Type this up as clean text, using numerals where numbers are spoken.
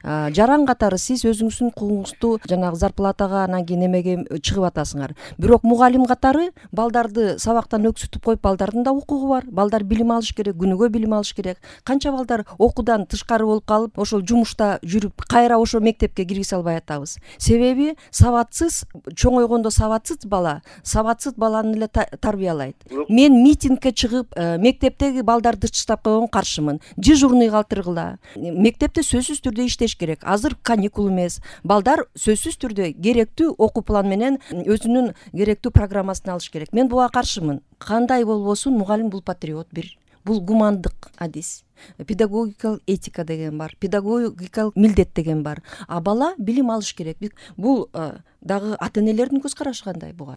жаран катары сиз өзүңүздүн укугуңузду жанагы зарплатага анан кийин эмеге чыгып атасыңар. Бирок мугалим катары балдарды сабактан өксүтүп коюп, балдардын да укугу бар. Балдар билим алыш керек, күнүгө билим алыш керек. Канча балдар окуудан тышкары болуп калып, ошол жумушта жүрүп, кайра ошо мектепке киргизе албай атабыз. Себеби сабатсыз, чоңойгондо сабатсыз баланы эле тарбиялайт. Мен митингге чыгып, мектептеги балдарды тыштап койгонго каршымын. Дежурный калтыргыла. Мектепте сөзсүз түрдө иштеш керек. Азыр каникул эмес. Балдар сөзсүз түрдө керектүү окуу план менен өзүнүн керектүү программасын алыш керек. Мен буга каршымын. Кандай болбосун, мугалим бул патриот бир. Бул гумандык адис. Педагогикалык этика деген бар, педагогикалык милдет деген бар. А бала билим алыш керек. Бул дагы ата энелердин көз карашы кандай буга?